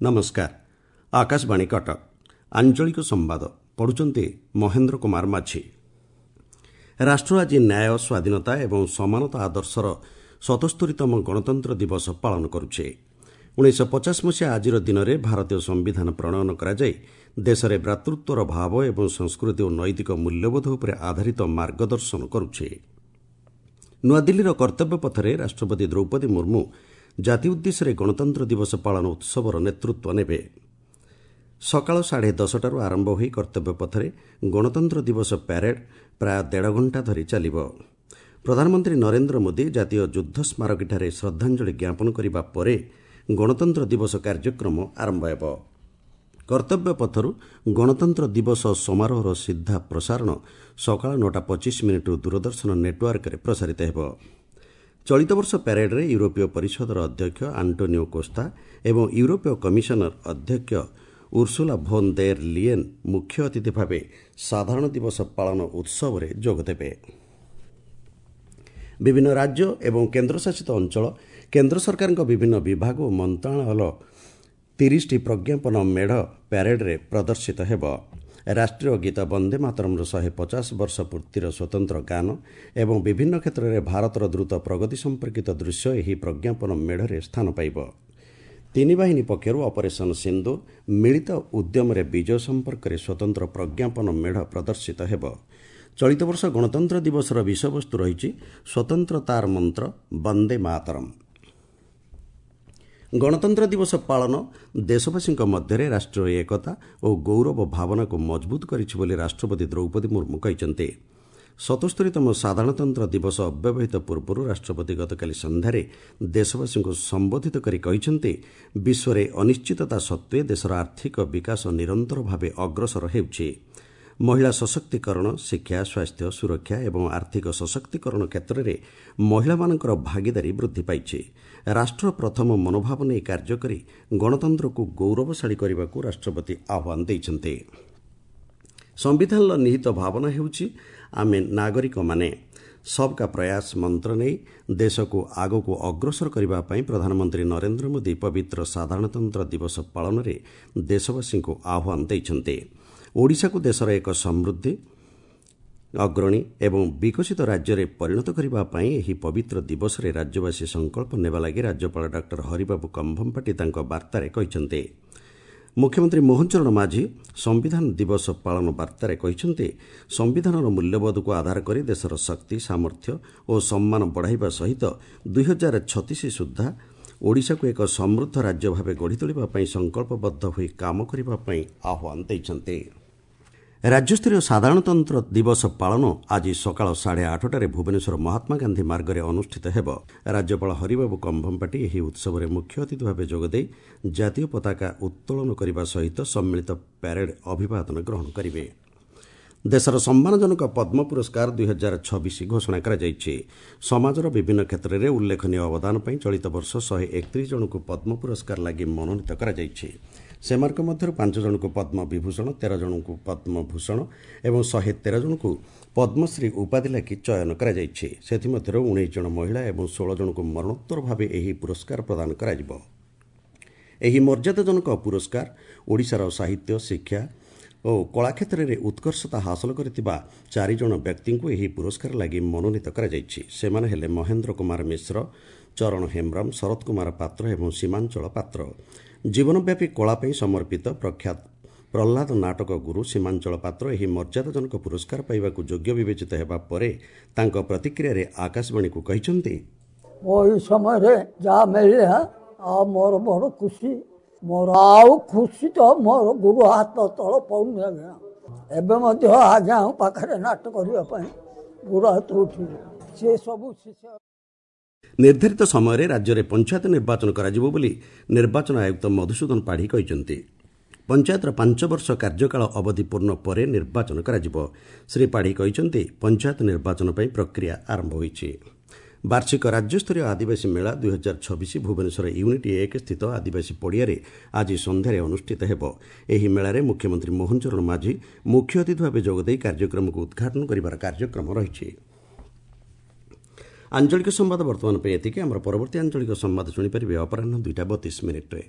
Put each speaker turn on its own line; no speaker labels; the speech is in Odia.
ନମସ୍କାର, ଆକାଶବାଣୀ କଟକ, ଆଞ୍ଚଳିକ ସମ୍ବାଦ ପଢ଼ୁଛନ୍ତି ମହେନ୍ଦ୍ର କୁମାର ମାଝୀ। ରାଷ୍ଟ୍ର ଆଜି ନ୍ୟାୟ, ସ୍ୱାଧୀନତା ଏବଂ ସମାନତା ଆଦର୍ଶର 77ତମ ଗଣତନ୍ତ୍ର ଦିବସ ପାଳନ କରୁଛି। 1950 ମସିହା ଆଜିର ଦିନରେ ଭାରତୀୟ ସମ୍ବିଧାନ ପ୍ରଣୟନ କରାଯାଇ ଦେଶରେ ଭ୍ରାତୃତ୍ୱର ଭାବ ଏବଂ ସଂସ୍କୃତି ଓ ନୈତିକ ମୂଲ୍ୟବୋଧ ଉପରେ ଆଧାରିତ ମାର୍ଗଦର୍ଶନ କରୁଛି। ନୂଆଦିଲ୍ଲୀର କର୍ତ୍ତବ୍ୟ ପଥରେ ରାଷ୍ଟ୍ରପତି ଦ୍ରୌପଦୀ ମୁର୍ମୁ ଜାତି ଉଦ୍ଦେଶ୍ୟରେ ଗଣତନ୍ତ୍ର ଦିବସ ପାଳନ ଉତ୍ସବର ନେତୃତ୍ୱ ନେବେ। ସକାଳ 10:30ଟାରୁ ଆରମ୍ଭ ହୋଇ କର୍ତ୍ତବ୍ୟ ପଥରେ ଗଣତନ୍ତ୍ର ଦିବସ ପ୍ୟାରେଡ୍ ପ୍ରାୟ ଦେଢ଼ ଘଣ୍ଟା ଧରି ଚାଲିବ। ପ୍ରଧାନମନ୍ତ୍ରୀ ନରେନ୍ଦ୍ର ମୋଦି ଜାତୀୟ ଯୁଦ୍ଧ ସ୍ମାରକୀଠାରେ ଶ୍ରଦ୍ଧାଞ୍ଜଳି ଜ୍ଞାପନ କରିବା ପରେ ଗଣତନ୍ତ୍ର ଦିବସ କାର୍ଯ୍ୟକ୍ରମ ଆରମ୍ଭ ହେବ। କର୍ତ୍ତବ୍ୟ ପଥରୁ ଗଣତନ୍ତ୍ର ଦିବସ ସମାରୋହର ସିଧା ପ୍ରସାରଣ ସକାଳ 9ଟା 25 ମିନିଟ୍ରୁ ଦୂରଦର୍ଶନ ନେଟୱାର୍କରେ ପ୍ରସାରିତ ହେବ। ଚଳିତ ବର୍ଷ ପ୍ୟାରେଡ୍ରେ ୟୁରୋପୀୟ ପରିଷଦର ଅଧ୍ୟକ୍ଷ ଆଣ୍ଟୋନିଓ କୋସ୍ତା ଏବଂ ୟୁରୋପୀୟ କମିଶନର ଅଧ୍ୟକ୍ଷ ଉର୍ସୁଲା ଭୋନ୍ ଦେର୍ ଲିଏନ୍ ମୁଖ୍ୟ ଅତିଥି ଭାବେ ସାଧାରଣ ଦିବସ ପାଳନ ଉତ୍ସବରେ ଯୋଗଦେବେ। ବିଭିନ୍ନ ରାଜ୍ୟ ଏବଂ କେନ୍ଦ୍ରଶାସିତ ଅଞ୍ଚଳ, କେନ୍ଦ୍ର ସରକାରଙ୍କ ବିଭିନ୍ନ ବିଭାଗ ଓ ମନ୍ତ୍ରଣାଳୟର 30ଟି ପ୍ରଜ୍ଞାପନ ମେଢ଼ ପ୍ୟାରେଡ୍ରେ ପ୍ରଦର୍ଶିତ ହେବ। ରାଷ୍ଟ୍ରୀୟ ଗୀତ ବନ୍ଦେ ମାତରମ୍ର 150 ବର୍ଷ ପୂର୍ତ୍ତିର ସ୍ୱତନ୍ତ୍ର ଗାନ ଏବଂ ବିଭିନ୍ନ କ୍ଷେତ୍ରରେ ଭାରତର ଦ୍ରୁତ ପ୍ରଗତି ସମ୍ପର୍କିତ ଦୃଶ୍ୟ ଏହି ପ୍ରଜ୍ଞାପନ ମେଢ଼ରେ ସ୍ଥାନ ପାଇବ। ତିନି ବାହିନୀ ପକ୍ଷରୁ ଅପରେସନ୍ ସିନ୍ଦୁର, ମିଳିତ ଉଦ୍ୟମରେ ବିଜୟ ସମ୍ପର୍କରେ ସ୍ୱତନ୍ତ୍ର ପ୍ରଜ୍ଞାପନ ମେଢ଼ ପ୍ରଦର୍ଶିତ ହେବ। ଚଳିତ ବର୍ଷ ଗଣତନ୍ତ୍ର ଦିବସର ବିଷୟବସ୍ତୁ ରହିଛି ସ୍ୱତନ୍ତ୍ରତାର ମନ୍ତ୍ର ବନ୍ଦେ ମାତରମ୍। ଗଣତନ୍ତ୍ର ଦିବସ ପାଳନ ଦେଶବାସୀଙ୍କ ମଧ୍ୟରେ ରାଷ୍ଟ୍ରୀୟ ଏକତା ଓ ଗୌରବ ଭାବନାକୁ ମଜବୁତ କରିଛି ବୋଲି ରାଷ୍ଟ୍ରପତି ଦ୍ରୌପଦୀ ମୁର୍ମୁ କହିଛନ୍ତି। 77ତମ ସାଧାରଣତନ୍ତ୍ର ଦିବସ ଅବ୍ୟବହିତ ପୂର୍ବରୁ ରାଷ୍ଟ୍ରପତି ଗତକାଲି ସନ୍ଧ୍ୟାରେ ଦେଶବାସୀଙ୍କୁ ସମ୍ବୋଧିତ କରି କହିଛନ୍ତି, ବିଶ୍ୱରେ ଅନିଶ୍ଚିତତା ସତ୍ତ୍ୱେ ଦେଶର ଆର୍ଥିକ ବିକାଶ ନିରନ୍ତର ଭାବେ ଅଗ୍ରସର ହେଉଛି। ମହିଳା ସଶକ୍ତିକରଣ, ଶିକ୍ଷା, ସ୍ୱାସ୍ଥ୍ୟ, ସୁରକ୍ଷା ଏବଂ ଆର୍ଥିକ ସଶକ୍ତିକରଣ କ୍ଷେତ୍ରରେ ମହିଳାମାନଙ୍କର ଭାଗିଦାରୀ ବୃଦ୍ଧି ପାଇଛି। ରାଷ୍ଟ୍ର ପ୍ରଥମ ମନୋଭାବ ନେଇ କାର୍ଯ୍ୟ କରି ଗଣତନ୍ତ୍ରକୁ ଗୌରବଶାଳୀ କରିବାକୁ ରାଷ୍ଟ୍ରପତି ଆହ୍ୱାନ ଦେଇଛନ୍ତି। ସମ୍ବିଧାନର ନିହିତ ଭାବନା ହେଉଛି ଆମେ ନାଗରିକମାନେ ସବକା ପ୍ରୟାସ ମନ୍ତ୍ର ନେଇ ଦେଶକୁ ଆଗକୁ ଅଗ୍ରସର କରିବା ପାଇଁ ପ୍ରଧାନମନ୍ତ୍ରୀ ନରେନ୍ଦ୍ର ମୋଦି ପବିତ୍ର ସାଧାରଣତନ୍ତ୍ର ଦିବସ ପାଳନରେ ଦେଶବାସୀଙ୍କୁ ଆହ୍ୱାନ ଦେଇଛନ୍ତି। ଓଡ଼ିଶାକୁ ଦେଶର ଏକ ସମୃଦ୍ଧି, ଅଗ୍ରଣୀ ଏବଂ ବିକଶିତ ରାଜ୍ୟରେ ପରିଣତ କରିବା ପାଇଁ ଏହି ପବିତ୍ର ଦିବସରେ ରାଜ୍ୟବାସୀ ସଂକଳ୍ପ ନେବା ଲାଗି ରାଜ୍ୟପାଳ ଡକ୍ଟର ହରିବାବୁ କମ୍ଭମପାଟି ତାଙ୍କ ବାର୍ତ୍ତାରେ କହିଛନ୍ତି। ମୁଖ୍ୟମନ୍ତ୍ରୀ ମୋହନ ଚରଣ ମାଝୀ ସମ୍ବିଧାନ ଦିବସ ପାଳନ ବାର୍ତ୍ତାରେ କହିଛନ୍ତି, ସମ୍ବିଧାନର ମୂଲ୍ୟବୋଧକୁ ଆଧାର କରି ଦେଶର ଶକ୍ତି, ସାମର୍ଥ୍ୟ ଓ ସମ୍ମାନ ବଢ଼ାଇବା ସହିତ 2036 ସୁଦ୍ଧା ଓଡ଼ିଶାକୁ ଏକ ସମୃଦ୍ଧ ରାଜ୍ୟ ଭାବେ ଗଢ଼ି ତୋଳିବା ପାଇଁ ସଂକଳ୍ପବଦ୍ଧ ହୋଇ କାମ କରିବା ପାଇଁ ଆହ୍ୱାନ ଦେଇଛନ୍ତି। ରାଜ୍ୟସ୍ତରୀୟ ସାଧାରଣତନ୍ତ୍ର ଦିବସ ପାଳନ ଆଜି ସକାଳ 8:30ଟାରେ ଭୁବନେଶ୍ୱର ମହାତ୍ମାଗାନ୍ଧୀ ମାର୍ଗରେ ଅନୁଷ୍ଠିତ ହେବ। ରାଜ୍ୟପାଳ ହରିବାବୁ କମ୍ଭମପାଟି ଏହି ଉତ୍ସବରେ ମୁଖ୍ୟ ଅତିଥି ଭାବେ ଯୋଗଦେଇ ଜାତୀୟ ପତାକା ଉତ୍ତୋଳନ କରିବା ସହିତ ସମ୍ମିଳିତ ପ୍ୟାରେଡ୍ ଅଭିବାଦନ ଗ୍ରହଣ କରିବେ। ଦେଶର ସମ୍ମାନଜନକ ପଦ୍ମ ପୁରସ୍କାର 2026 ଘୋଷଣା କରାଯାଇଛି। ସମାଜର ବିଭିନ୍ନ କ୍ଷେତ୍ରରେ ଉଲ୍ଲେଖନୀୟ ଅବଦାନ ପାଇଁ ଚଳିତ ବର୍ଷ 131 ଜଣଙ୍କୁ ପଦ୍ମ ପୁରସ୍କାର ଲାଗି ମନୋନୀତ କରାଯାଇଛି। ସେମାନଙ୍କ ମଧ୍ୟରୁ 5 ଜଣଙ୍କୁ ପଦ୍ମ ବିଭୂଷଣ, 13 ଜଣଙ୍କୁ ପଦ୍ମଭୂଷଣ ଏବଂ 113 ଜଣଙ୍କୁ ପଦ୍ମଶ୍ରୀ ଉପାଧି ଲାଗି ଚୟନ କରାଯାଇଛି। ସେଥିମଧ୍ୟରୁ 19 ଜଣ ମହିଳା ଏବଂ 16 ଜଣଙ୍କୁ ମରଣୋତ୍ତର ଭାବେ ଏହି ପୁରସ୍କାର ପ୍ରଦାନ କରାଯିବ। ଏହି ମର୍ଯ୍ୟାଦାଜନକ ପୁରସ୍କାର ଓଡ଼ିଶାର ସାହିତ୍ୟ, ଶିକ୍ଷା ଓ କଳା କ୍ଷେତ୍ରରେ ଉତ୍କର୍ଷତା ହାସଲ କରିଥିବା ଚାରିଜଣ ବ୍ୟକ୍ତିଙ୍କୁ ଏହି ପୁରସ୍କାର ଲାଗି ମନୋନୀତ କରାଯାଇଛି। ସେମାନେ ହେଲେ ମହେନ୍ଦ୍ର କୁମାର ମିଶ୍ର, ଚରଣ ହେମ୍ବ୍ରମ, ଶରତ କୁମାର ପାତ୍ର ଏବଂ ସୀମାଞ୍ଚଳ ପାତ୍ର। ଜୀବନବ୍ୟାପୀ କଳା ପାଇଁ ସମର୍ପିତ ପ୍ରଖ୍ୟାତ ପ୍ରହ୍ଲାଦ ନାଟକ ଗୁରୁ ସୀମାଞ୍ଚଳ ପାତ୍ର ଏହି ମର୍ଯ୍ୟାଦାଜନକ ପୁରସ୍କାର ପାଇବାକୁ ଯୋଗ୍ୟ ବିବେଚିତ ହେବା ପରେ ତାଙ୍କ ପ୍ରତିକ୍ରିୟାରେ ଆକାଶବାଣୀକୁ କହିଛନ୍ତି,
ଏଇ ସମୟରେ ଯାହା ମିଳିଲା ଆଉ ମୋର ବଡ଼ ଖୁସି। ମୋର ଆଉ ଖୁସି ତ ମୋର ଗୁରୁ ହାତ ତଳ ପାଉନି ଆଜ୍ଞା। ଏବେ ମଧ୍ୟ ଆଜ୍ଞା ପାଖରେ ନାଟ କରିବା ପାଇଁ ଗୁରୁ ହାତ ଉଠିବ ସେ ସବୁ ଶିଷ୍ୟ।
ନିର୍ଦ୍ଧାରିତ ସମୟରେ ରାଜ୍ୟରେ ପଞ୍ଚାୟତ ନିର୍ବାଚନ କରାଯିବ ବୋଲି ନିର୍ବାଚନ ଆୟୁକ୍ତ ମଧୁସୂଦନ ପାଢ଼ୀ କହିଛନ୍ତି। ପଞ୍ଚାୟତର 5 ବର୍ଷ କାର୍ଯ୍ୟକାଳ ଅବଧି ପୂର୍ଣ୍ଣ ପରେ ନିର୍ବାଚନ କରାଯିବ। ଶ୍ରୀ ପାଢ଼ୀ କହିଛନ୍ତି, ପଞ୍ଚାୟତ ନିର୍ବାଚନ ପାଇଁ ପ୍ରକ୍ରିୟା ଆରମ୍ଭ ହୋଇଛି। ବାର୍ଷିକ ରାଜ୍ୟସ୍ତରୀୟ ଆଦିବାସୀ ମେଳା 2026 ଭୁବନେଶ୍ୱର ୟୁନିଟ୍ 1 ସ୍ଥିତ ଆଦିବାସୀ ପଡ଼ିଆରେ ଆଜି ସନ୍ଧ୍ୟାରେ ଅନୁଷ୍ଠିତ ହେବ। ଏହି ମେଳାରେ ମୁଖ୍ୟମନ୍ତ୍ରୀ ମୋହନ ଚରଣ ମାଝୀ ମୁଖ୍ୟ ଅତିଥି ଭାବେ ଯୋଗଦେଇ କାର୍ଯ୍ୟକ୍ରମକୁ ଉଦ୍ଘାଟନ କରିବାର କାର୍ଯ୍ୟକ୍ରମ ରହିଛି। ଆଞ୍ଚଳିକ ସମ୍ବାଦ ବର୍ତ୍ତମାନ ପାଇଁ ଏତିକି। ଆମର ପରବର୍ତ୍ତୀ ଆଞ୍ଚଳିକ ସମ୍ବାଦ ଶୁଣିପାରିବେ ଅପରାହ୍ନ 2ଟା 32 ମିନିଟ୍ରେ।